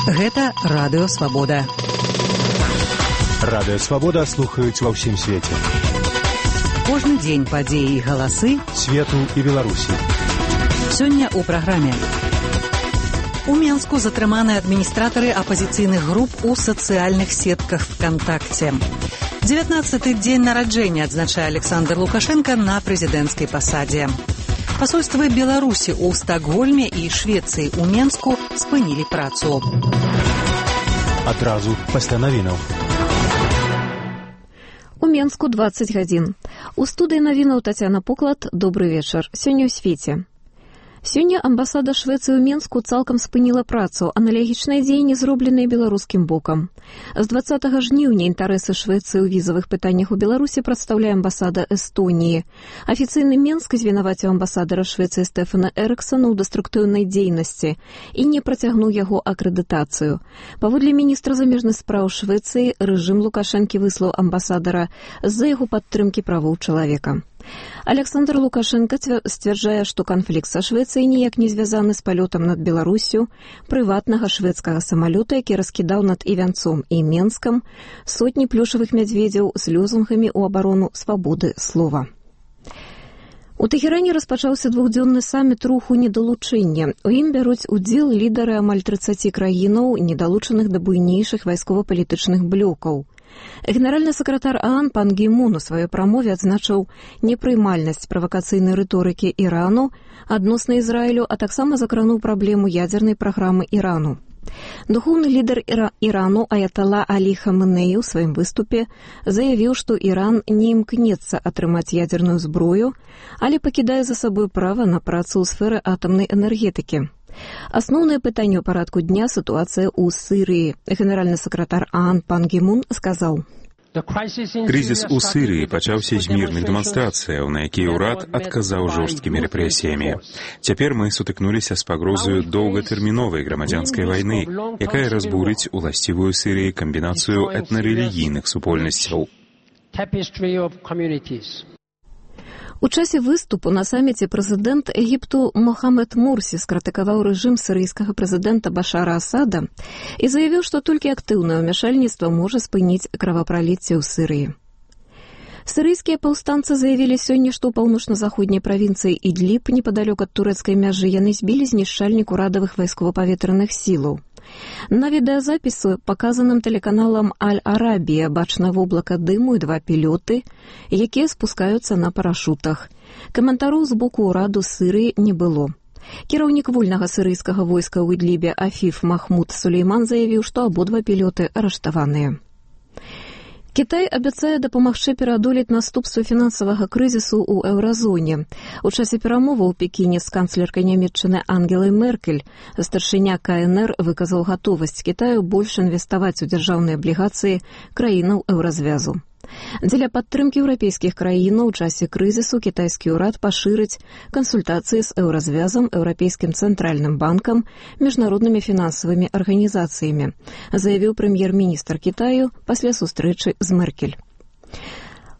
Гэта Радыё Свабода. Радыё Свабода слухаюць ва ўсім свеце. Кожны дзень падзеі і галасы свету і Беларусі. Сёння ў праграме. У Менску затрыманы адміністратары апазіцыйных груп у сацыяльных сетках ВКонтакте. 19-й дзень нараджэння адзначае Александр Лукашенко на прэзідэнцкай пасадзе. Пасольствы Беларусі ў Стакгольме і Швецыі ў Менску спынілі працу. Адразу пасля навінаў. У Менску 20 гадзін. У студыі навінаў Тацяна Поклад. Добры вечар. Сёння ў свеце. Сёння амбасада Швецыі ў Менску цалкам спыніла працу, аналагічныя дзеянні зробленыя беларускім бокам. З 20 жніўня інтарэсы Швецыі ў візавых пытаннях у Беларусі прадстаўляе амбасада Эстоніі. Афіцыйны Менск звінаваціў амбасадара Швецыі Стэфана Эрыксона ў дэструктыўнай дзейнасці і не працягнуў яго акрэдытацыю. Паводле міністра замежных спраў Швецыі, рэжым Лукашэнкі выслаў амбасадара з-за яго падтрымкі правоў чалавека. Александр Лукашенко сцвярджае, што канфлікт са Швецыяй ніяк не звязаны з палётам над Беларусю прыватнага шведскага самалёта, які раскідаў над Івянцом і Менскам сотні плюшавых мядзведзяў з лёзунгамі ў абарону свабоды слова. У Тэхеране распачаўся двухдзённы саміт руху недалучэння. У ім бяруць удзел лідары амаль 30 краінаў, недалучаных да буйнейшых вайскова-палітычных блокаў. Генеральны сакратар ААН пан Гі Мун у сваёй прамове адзначыў непрыймальнасць правакацыйнай рыторыкі Ірану адносна Ізраілю, а таксама закрануў праблему ядзернай праграмы Ірану. Духоўны лідар Ірану Аятала Алі Хаменеі ў сваім выступе заявіў, што Іран не імкнецца атрымаць ядзерную зброю, але пакідае за сабой права на працу ў сферы атамнай энергетыкі. Асноўнае пытанне ў парадку дня – сітуацыя ў Сірыі. Генеральны сакратар ААН пан Гі Мун сказаў: Крызіс у Сірыі пачаўся з мірных дэманстрацыяў, на якія ўрад адказаў жорсткімі рэпрэсіямі. Цяпер мы сутыкнуліся з пагрозаю доўгатэрміновай грамадзянскай вайны, якая разбурыць уласцівую Сірыі камбінацыю этнарэлігійных супольнасцяў. У часе выступу на саміце прэзідэнт Егіпту Мохамед Мурсі скрытыкаваў рэжым сірыйскага прэзідэнта Башара Асада і заявіў, што толькі актыўнае ўмяшальніцтва можа спыніць кровапраліцце ў Сірыі. Сірыйскія паўстанцы заявілі сёння, што ў паўночна-заходняй правінцыі Ідліб, непадалёк ад турэцкай мяжы, яны збілі знішчальнік урадавых вайскова-паветраных сілаў. На відэазапісу, паказаным тэлеканалам Аль-Арабія, бачна воблака дыму і 2 пілёты, якія спускаюцца на парашутах. Каментароў з боку ўраду Сірыі не было. Кіраўнік вольнага сірыйскага войска ў Ідлібе Афіф Махмуд Сулейман заявіў, што абодва пілёты арыштаваныя. Кітай абяцае дапамагчы пераадолець наступствы фінансавага крызісу ў еўразоне. У часе перамоваў у Пекіне з канцлеркай Нямецчыны Ангелай Меркель старшыня КНР выказаў гатовасць Кітаю больш інвеставаць у дзяржаўныя аблігацыі краінаў еўразвязу. Дзеля падтрымкі еўрапейскіх краінаў у часе крызісу кітайскі ўрад пашырыць кансультацыі з еўразвязам, Еўрапейскім цэнтральным банкам, міжнароднымі фінансавымі арганізацыямі, заявіў прэм'ер-міністр Кітаю пасля сустрэчы з Меркель.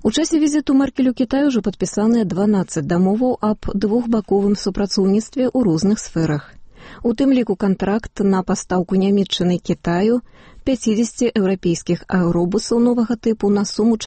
У часе візіту Меркель у Кітай ужо падпісаныя 12 дамоваў аб двухбаковым супрацоўніцтве ў розных сферах. У тым ліку кантракт на пастаўку Нямецчыны Кітаю 50 еўрапейскіх аэробусаў новага тыпу на суму